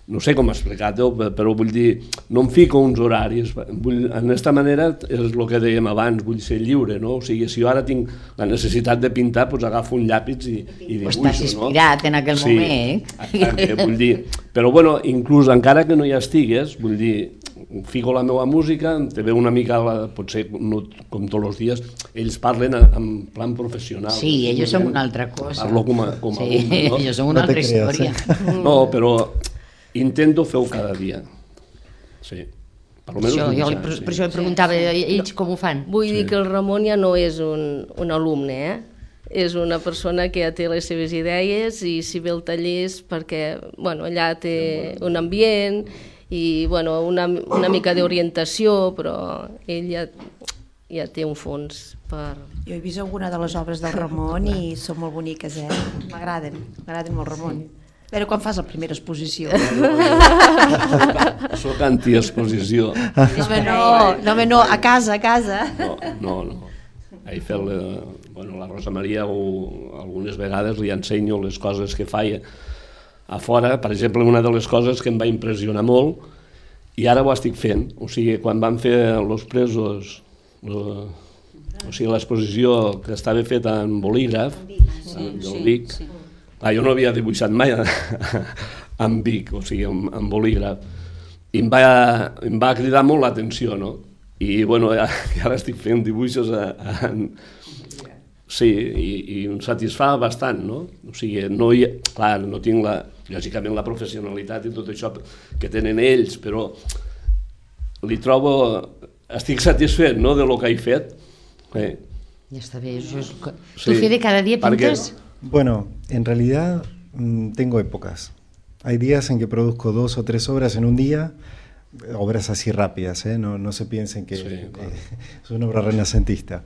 no sé com explicar-ho, però vull dir, no em fico uns horaris, en aquesta manera és el que dèiem abans, vull ser lliure, no? O sigui, si jo ara tinc la necessitat de pintar, doncs agafo un llàpis i dibuixo, no? Estàs inspirat en aquell moment. Sí, vull dir, però bueno, inclús encara que no hi estigues, vull dir, fico la meva música, te veu una mica, potser no com tots els dies, ells parlen en plan professional. Sí, ells són una altra cosa. Parlo com a sí, no? Ells són una altra història. No, però intento fer-ho cada dia. Sí. Per això preguntava ells com ho fan. Vull dir que el Ramon ja no és un alumne, és una persona que ja té les seves idees i si ve al taller és perquè allà té un ambient i una mica d'orientació, però ell ja té un fons per... Jo he vist alguna de les obres del Ramon i són molt boniques, m'agraden molt, Ramon. A veure quan fas la primera exposició. Soc anti-exposició. No, a casa. No. He fet la Rosa Maria algunes vegades li ensenyo les coses que faia a fora. Per exemple, una de les coses que em va impressionar molt, i ara ho estic fent, o sigui, quan van fer Los Presos, o sigui, l'exposició que estava feta en bolígraf, del Vic, jo no havia dibuixat mai en Vic, o sigui, en bolígraf, i em va cridar molt l'atenció, no? I bueno, ara estic fent dibuixos sí, i em satisfà bastant, no? O sigui, clar, no tinc lògicament la professionalitat i tot això que tenen ells, però li trobo, estic satisfet, no?, de lo que he fet. Ja està bé. ¿Tú, Fede, cada día pintas? Bueno, en realidad tengo épocas. Hay días en que produzco 2 o 3 obras en un día, obras así rápidas, no se piensen que es una obra renacentista.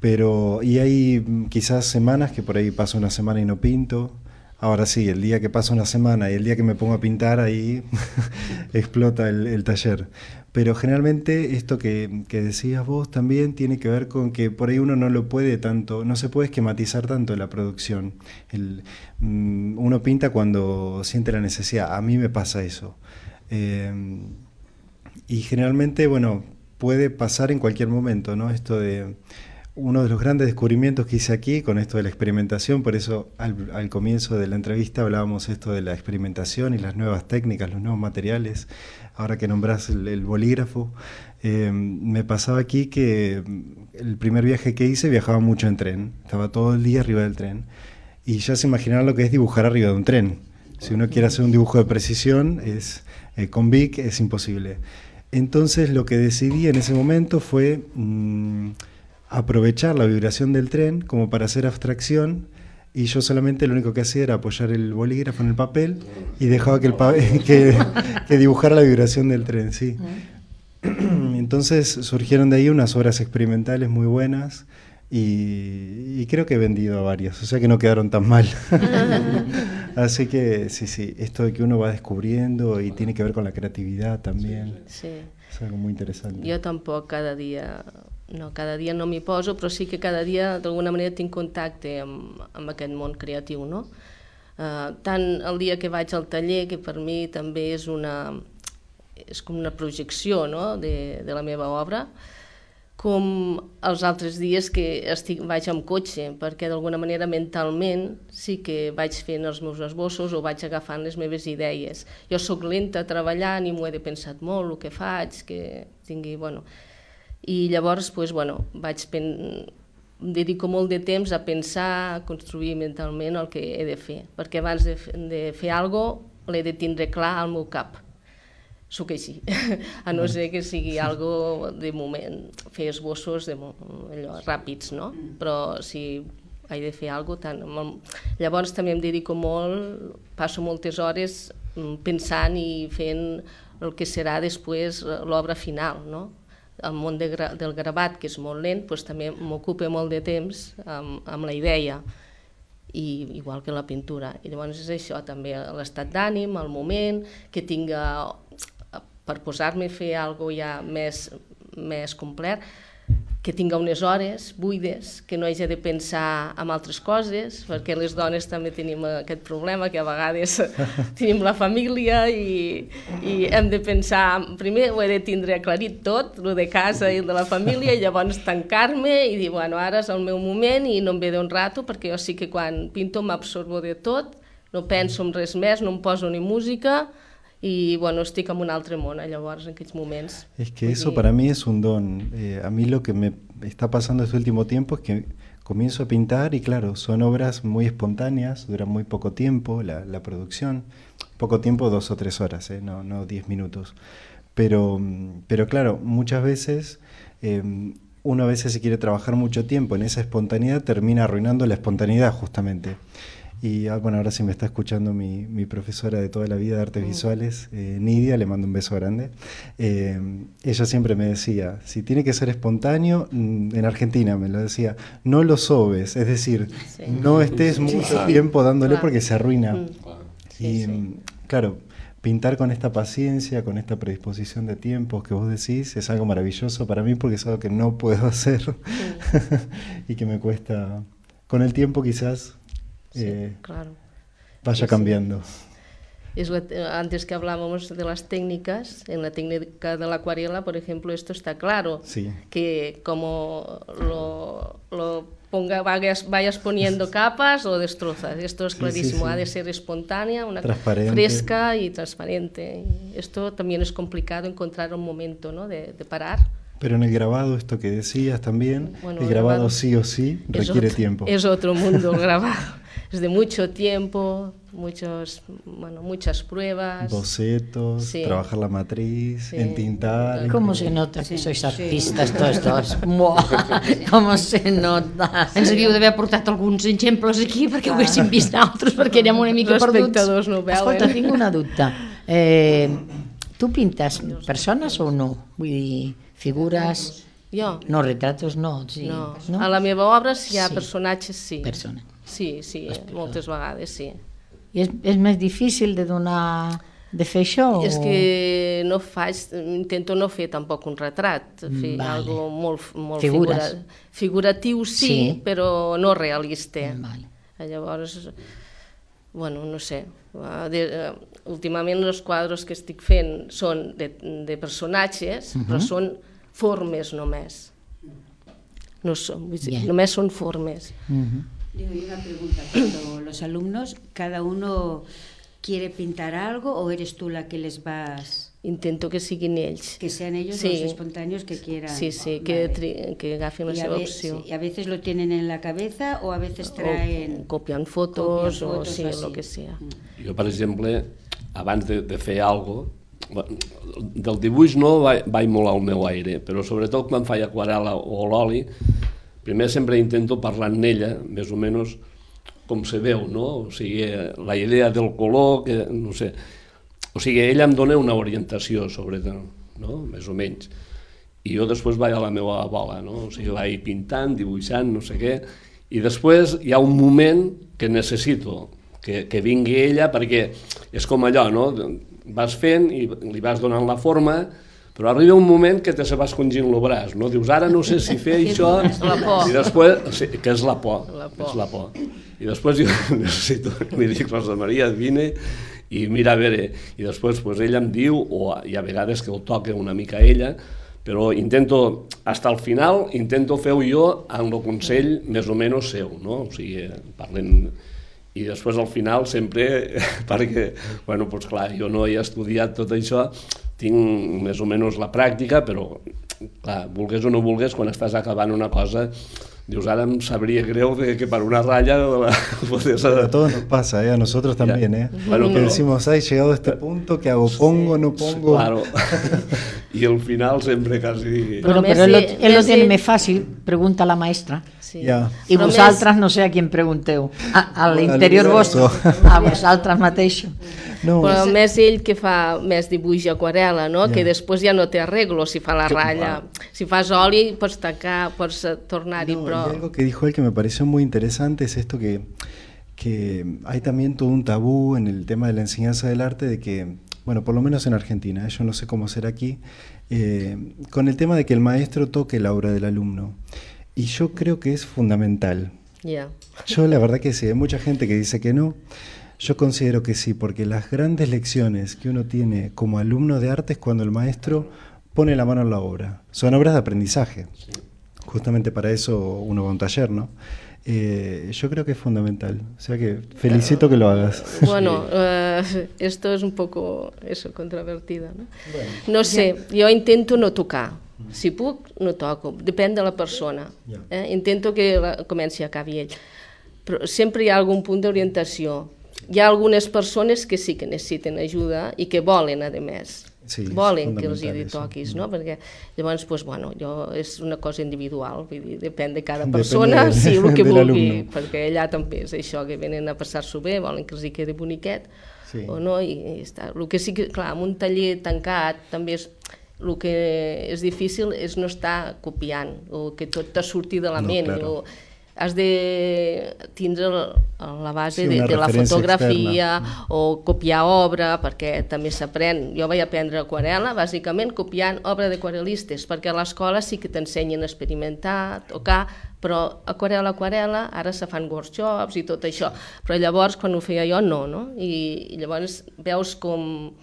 Y hay quizás semanas que por ahí paso una semana y no pinto. Ahora sí, el día que pasa una semana y el día que me pongo a pintar, ahí explota el taller. Pero generalmente esto que decías vos también tiene que ver con que por ahí uno no lo puede tanto, no se puede esquematizar tanto la producción. Uno pinta cuando siente la necesidad, a mí me pasa eso. Y generalmente, bueno, puede pasar en cualquier momento, ¿no? Esto de uno de los grandes descubrimientos que hice aquí con esto de la experimentación, por eso al comienzo de la entrevista hablábamos esto de la experimentación y las nuevas técnicas, los nuevos materiales. Ahora que nombrás el bolígrafo, me pasaba aquí que el primer viaje que hice viajaba mucho en tren, estaba todo el día arriba del tren, y ya se imaginarán lo que es dibujar arriba de un tren. Si uno quiere hacer un dibujo de precisión, con Bic es imposible. Entonces lo que decidí en ese momento fue aprovechar la vibración del tren como para hacer abstracción, y yo solamente lo único que hacía era apoyar el bolígrafo en el papel y dejaba que dibujara la vibración del tren, sí. Entonces surgieron de ahí unas obras experimentales muy buenas y creo que he vendido a varias, o sea que no quedaron tan mal. Así que sí, esto de que uno va descubriendo y tiene que ver con la creatividad también, sí. Es algo muy interesante. Jo tampoc cada dia no m'hi poso, però sí que cada dia d'alguna manera tinc contacte amb aquest món creatiu, no? Tant el dia que vaig al taller, que per mi també és com una projecció, no? de la meva obra, com els altres dies que vaig amb cotxe, perquè d'alguna manera mentalment sí que vaig fent els meus esbossos o vaig agafant les meves idees. Jo sóc lenta treballant i m'ho he de pensar molt, el que faig, que tingui, bueno... I llavors, dedico molt de temps a pensar, a construir mentalment el que he de fer, perquè abans de fer alguna cosa l'he de tindre clar al meu cap. Sóc així, a no ser que sigui algo de moment, fer esbossos ràpids, no? Però si he de fer alguna cosa, llavors també em dedico molt, passo moltes hores pensant i fent el que serà després l'obra final, no? El món del gravat, que és molt lent, també m'ocupa molt de temps amb la idea, igual que la pintura. I llavors és això, també l'estat d'ànim, el moment, que tinga, per posar-me a fer alguna cosa ja més complet, que tinga unes hores buides, que no hagi de pensar en altres coses, perquè les dones també tenim aquest problema, que a vegades tenim la família i hem de pensar, primer ho he de tindre aclarit tot, el de casa i el de la família, i llavors tancar-me i dir, bueno, ara és el meu moment i no em ve d'un rato, perquè jo sí que quan pinto m'absorbo de tot, no penso en res més, no em poso ni música, y bueno, estic en un altre món, llavors, en aquells moments. Es que eso para mí es un don. A mí lo que me está pasando este último tiempo es que comienzo a pintar y claro, son obras muy espontáneas, duran muy poco tiempo la producción, poco tiempo, 2 o 3 horas, no 10 minutos. Pero claro, muchas veces uno a veces si quiere trabajar mucho tiempo en esa espontaneidad termina arruinando la espontaneidad justamente. Y bueno, ahora sí me está escuchando mi profesora de toda la vida de artes visuales, Nidia, le mando un beso grande. Ella siempre me decía, si tiene que ser espontáneo, en Argentina me lo decía, no lo sobes, es decir, no estés mucho tiempo dándole porque se arruina. Claro, pintar con esta paciencia, con esta predisposición de tiempos que vos decís, es algo maravilloso para mí porque es algo que no puedo hacer y que me cuesta, con el tiempo quizás... claro. Vaya cambiando. Antes que hablábamos de las técnicas, en la técnica de la acuarela, por ejemplo, esto está claro, que como lo vayas poniendo capas, lo destrozas. Esto es clarísimo, ha de ser espontánea, fresca y transparente. Y esto también es complicado, encontrar un momento, ¿no? de parar. Pero en el grabado, esto que decías también, el grabado sí o sí requiere tiempo. Es otro mundo el grabado. Es de mucho tiempo, muchas pruebas. Bocetos, trabajar la matriz, entintar. ¿Cómo se nota que sois artistes tots dos? Com se nota? Ens havíeu d'haver portat alguns exemples aquí perquè ho haguéssim vist altres, perquè érem una mica perduts. Els espectadors no ho veuen. Escolta, tinc una dubte. Tu pintes persones o no? Vull dir, figures... Jo? No, retratos no. Sí. No. A la meva obra, si hi ha personatges, sí. Sí, moltes vegades, sí. I és més difícil de donar de fer això? És que no faig, intento no fer tampoc un retrat, fer algo molt figuratiu, sí, però no realista. Llavors, bueno, no sé, últimament els quadres que estic fent són de personatges, però són formes només. No son, només són formes. Digo, y una pregunta, cuando los alumnos, cada uno quiere pintar algo o eres tú la que les vas... Intento que siguin ells. Que sean ellos los espontáneos que quieran. Sí, que agafin la seva opció. ¿Y a veces lo tienen en la cabeza o a veces traen... O copian fotos o sí, lo que sea. Jo, per exemple, abans de fer alguna cosa, del dibuix no vaig molt al meu aire, però sobretot quan faig aquarel·la o l'oli, primer sempre intento parlar amb ella, més o menys com se veu, no? O sigui, la idea del color, que no sé... O sigui, ella em dona una orientació sobre, no? Més o menys. I jo després vaig a la meva bola, no? O sigui, vaig pintant, dibuixant, no sé què, i després hi ha un moment que necessito que vingui ella, perquè és com allò, no? Vas fent i li vas donant la forma, però arriba un moment que te se va escongint el braç, no? Dius, ara no sé si fer això... I després, sí, que és la por, és la por. I després jo necessito, li dic, Rosa Maria, vine i mira a veure, i després ella em diu, o hi ha vegades que ho toca una mica ella, però intento, fins al final, intento fer-ho jo amb el consell més o menys seu, no? O sigui, parlem... I després al final sempre, perquè, bueno, doncs clar, jo no he estudiat tot això, tinc més o menys la pràctica, però, clar, vulgues o no vulgues, quan estàs acabant una cosa, dius, ara em sabria greu que per una ratlla... A todos nos pasa, a nosotros también, Bueno, que decimos, he llegado a este punto, ¿qué hago? ¿Pongo, no pongo? Claro, y al final sempre casi... Pero él lo tiene més fàcil, pregunta la maestra. Sí. I vosaltres no sé a qui pregunteu, a l'interior vostre, a vosaltres mateixos. No. Però més ell que fa més dibuix i aquarel·la, no? Que després ja no té arreglo si fa la ratlla. Si fas oli pots tacar, pots tornar-hi, però... Y algo que dijo él que me pareció muy interesante es esto que hay también todo un tabú en el tema de la enseñanza del arte, de que, bueno, por lo menos en Argentina, yo no sé cómo será aquí, con el tema de que el maestro toque la obra del alumno. Y yo creo que es fundamental. Yo la verdad que sí, hay mucha gente que dice que no. Yo considero que sí, porque las grandes lecciones que uno tiene como alumno de arte es cuando el maestro pone la mano en la obra. Son obras de aprendizaje. Justamente para eso uno va a un taller, ¿no? Yo creo que es fundamental. O sea que felicito que lo hagas. Bueno, esto es un poco controvertido, ¿no? Bueno. No sé, jo intento no tocar. Si puc, no toco. Depèn de la persona. Intento que comenci i acabi ell. Però sempre hi ha algun punt d'orientació. Hi ha algunes persones que sí que necessiten ajuda i que volen, a més. Sí, volen que els hi toquis, no? Perquè llavors, doncs, bueno, és una cosa individual, vull dir, depèn de cada persona, sí, el que vulgui, perquè allà també és això, que venen a passar-s'ho bé, volen que els hi quedi boniquet, o no, i està. El que sí que, clar, en un taller tancat també és... El que és difícil és no estar copiant, o que tot te surti de la ment, o has de tindre la base de la fotografia o copiar obra, perquè també s'aprèn. Jo vaig aprendre aquarel·la, bàsicament copiant obra d'aquarel·listes, perquè a l'escola sí que t'ensenyen a experimentar, tocar, però aquarel·la, ara se fan workshops i tot això, però llavors quan ho feia jo no? I llavors veus com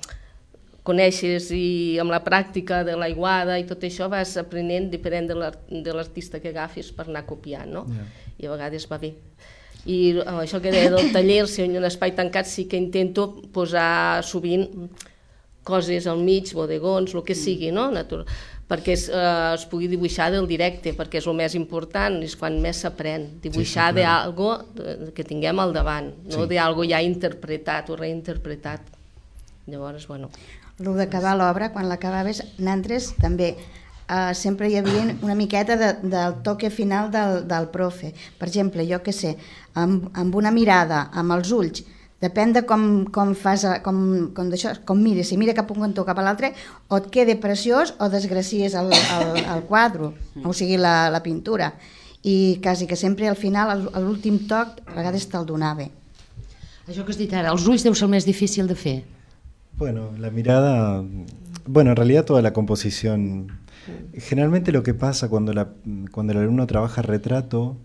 coneixes i amb la pràctica de l'aiguada i tot això vas aprenent depèn de l'artista que agafis per anar copiant, no? I a vegades va bé. I això que deia del taller, si en un espai tancat sí que intento posar sovint coses al mig, bodegons, el que sigui, no? Perquè es pugui dibuixar del directe, perquè és el més important, és quan més s'aprèn, dibuixar d'algo que tinguem al davant, no d'algo ja interpretat o reinterpretat. Llavors, bueno... El d'acabar l'obra, quan l'acabaves, nosaltres també sempre hi havia una miqueta del toque final del profe. Per exemple, jo què sé, amb una mirada, amb els ulls, depèn de com fas, com mires, si mira cap a un cantó cap a l'altre, o et queda preciós o desgracies el quadre, o sigui la pintura. I quasi que sempre al final, a l'últim toc, a vegades te'l donava. Això que has dit ara, els ulls deu ser el més difícil de fer. Bueno, la mirada, bueno, en realidad toda la composición. Generalmente lo que pasa cuando el alumno trabaja retrato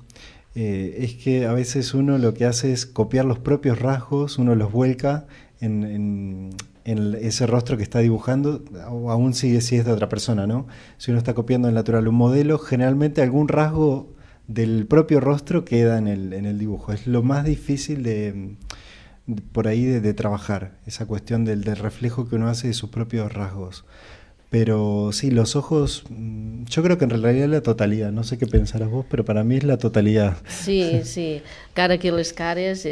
es que a veces uno lo que hace es copiar los propios rasgos, uno los vuelca en ese rostro que está dibujando, o aún si es de otra persona, ¿no? Si uno está copiando en natural un modelo, generalmente algún rasgo del propio rostro queda en el dibujo. Es lo más difícil por ahí de trabajar, esa cuestión del reflejo que uno hace de sus propios rasgos. Pero sí, los ojos, yo creo que en realidad es la totalidad, no sé qué pensaràs vos, però per a mi és la totalitat. Sí, sí, cara que les cares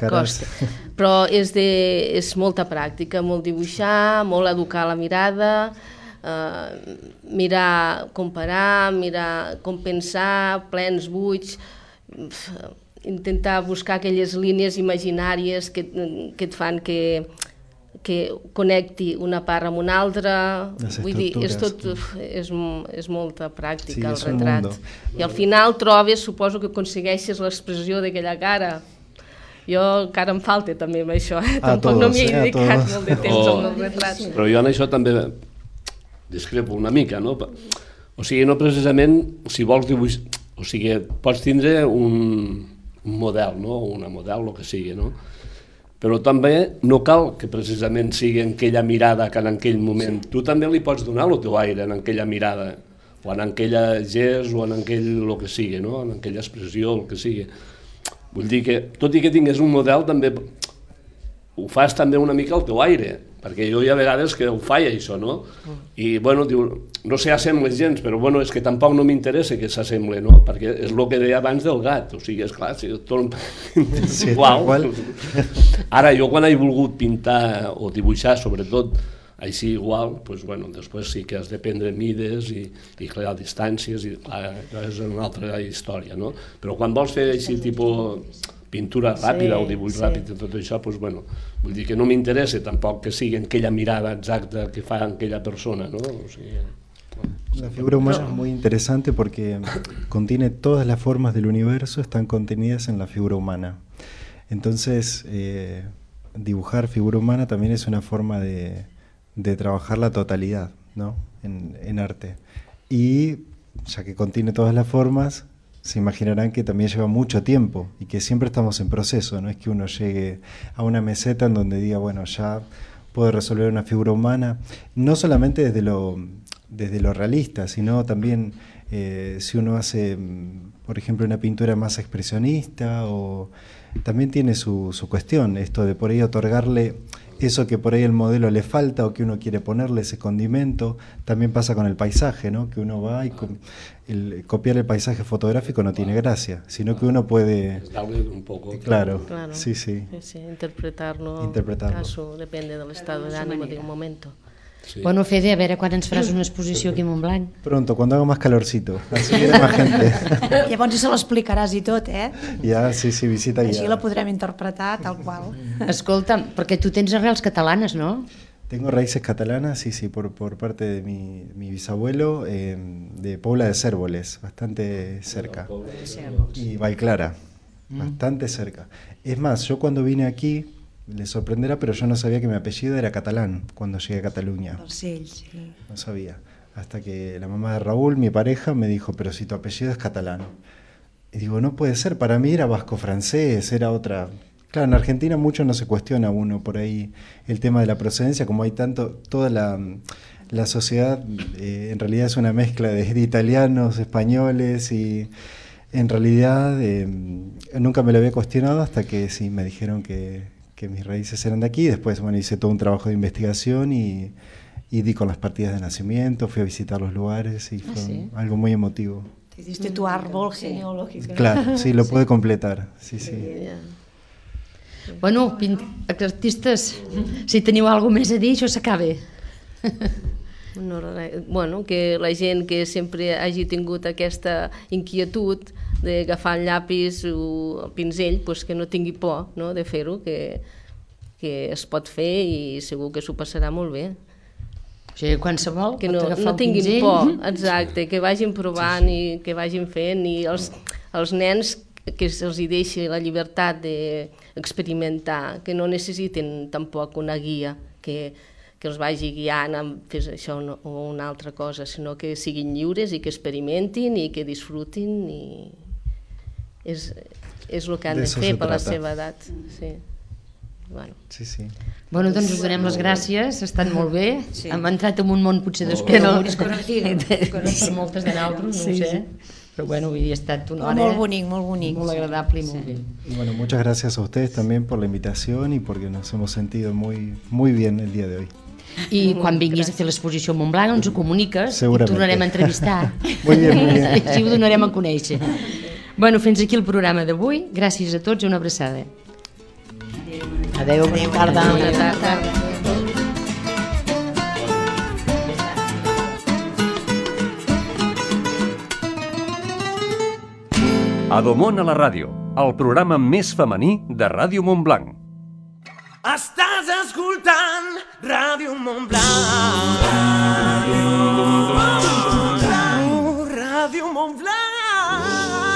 costa. Però és molta pràctica, molt dibuixar, molt educar la mirada, mirar, comparar, mirar com pensar, plens buits, intentar buscar aquelles línies imaginàries que et fan que connecti una part amb una altra. Vull dir, és molta pràctica, el retrat. I al final trobes, suposo que aconsegueixes l'expressió d'aquella cara. Jo encara em falta també amb això, tampoc no m'hi he dedicat molt de temps amb els retrats. Però jo en això també discrepo una mica, no? O sigui, no precisament, si vols dibuixar, o sigui, pots tindre un model, no? Una model, el que sigui, no? Però també no cal que precisament sigui en aquella mirada que en aquell moment. Tu també li pots donar el teu aire en aquella mirada, o en aquella gest, o en aquell el que sigui, no? En aquella expressió, el que sigui. Vull dir que, tot i que tingués un model, també ho fas també una mica al teu aire, perquè jo hi ha vegades que ho faig això, no? I, bueno, diu, no s'assembla gens, però, bueno, és que tampoc no m'interessa que s'assemble, no? Perquè és el que deia abans del gat, o sigui, esclar, si tot... Sí, igual. Ara, jo quan he volgut pintar o dibuixar, sobretot, així igual, doncs, bueno, després sí que has de prendre mides i crear distàncies, i clar, és una altra història, no? Però quan vols fer així, tipus pintura ràpida o dibuix ràpid i tot això, doncs, bueno, vull dir que no m'interessa tampoc que sigui aquella mirada exacta que fa aquella persona, ¿no? O sigui, la figura humana es muy interesante porque contiene todas las formas del universo, están contenidas en la figura humana. Entonces, dibujar figura humana también es una forma de trabajar la totalidad, ¿no? En arte. Y ya que contiene todas las formas, se imaginarán que también lleva mucho tiempo y que siempre estamos en proceso, no es que uno llegue a una meseta en donde diga, bueno, ya puedo resolver una figura humana, no solamente desde lo realista, sino también si uno hace, por ejemplo, una pintura más expresionista, o también tiene su cuestión, esto de por ahí otorgarle eso que por ahí el modelo le falta o que uno quiere ponerle ese condimento. También pasa con el paisaje, ¿no? Que uno va y copiar el paisaje fotográfico no tiene gracia, sino que uno puede... Darle un poco... Claro, sí. Interpretarlo. Caso, depende del estado de ánimo de un momento. Sí. Bueno, Fede, a veure quan ens faràs una exposició aquí a Montblanc. Pronto, cuando haga más calorcito, así viene más gente. Llavors ja se l'explicaràs i tot, eh? Ja, sí, visita guiada. Així la podrem interpretar tal qual. Escolta, perquè tu tens arrels catalanes, no? Tengo raíces catalanas, sí, por parte de mi bisabuelo, de Pobla de Cérvoles, bastante cerca. Y Vallclara, bastante cerca. Es más, yo cuando vine aquí, le sorprenderá, pero yo no sabía que mi apellido era catalán cuando llegué a Cataluña. Sí. No sabía. Hasta que la mamá de Raúl, mi pareja, me dijo, pero si tu apellido es catalán. Y digo, no puede ser, para mí era vasco-francés, era otra... Claro, en Argentina mucho no se cuestiona uno por ahí el tema de la procedencia, como hay tanto, toda la sociedad en realidad es una mezcla de italianos, españoles, y en realidad nunca me lo había cuestionado hasta que sí me dijeron que mis raíces eran de aquí. Después, bueno, hice todo un trabajo de investigación y di con las partidas de nacimiento, fui a visitar los lugares y fue algo muy emotivo. Te diste tu árbol genealógico. Claro, sí, lo pude completar, sí. Bueno, artistes, si teniu alguna més a dir, això s'acaba. Bueno, que la gent que sempre hagi tingut aquesta inquietud d'agafar el llapis o el pinzell, pues que no tingui por, no?, de fer-ho, que es pot fer i segur que s'ho passarà molt bé. O sigui, qualsevol que pot agafar no tinguin por, exacte, que vagin provant i que vagin fent, i els nens que se'ls deixi la llibertat d'experimentar, que no necessiten tampoc una guia, que els vagi guiant a fer això o una altra cosa, sinó que siguin lliures i que experimentin i que disfrutin, i és el que han de fer per la seva edat. Sí. Bueno, doncs us donem les gràcies, ha estat molt bé, hem entrat en un món potser desconegut per moltes de nosaltres, no ho sé, pero bueno, hoy ha estat una hora muy agradable y muy bien. Bueno, muchas gracias a ustedes también por la invitación y porque nos hemos sentido muy bien el día de hoy. I quan vinguis a fer l'exposició a Montblanc ens ho comuniques i tornarem a entrevistar. Muy bien. Així ho donarem a conèixer. Bueno, fins aquí el programa d'avui. Gràcies a tots i una abraçada. Adéu, bona tarda. Bona tarda. Adomon a la ràdio, el programa més femení de Ràdio Montblanc. Estàs escoltant Ràdio Montblanc. Ràdio Montblanc.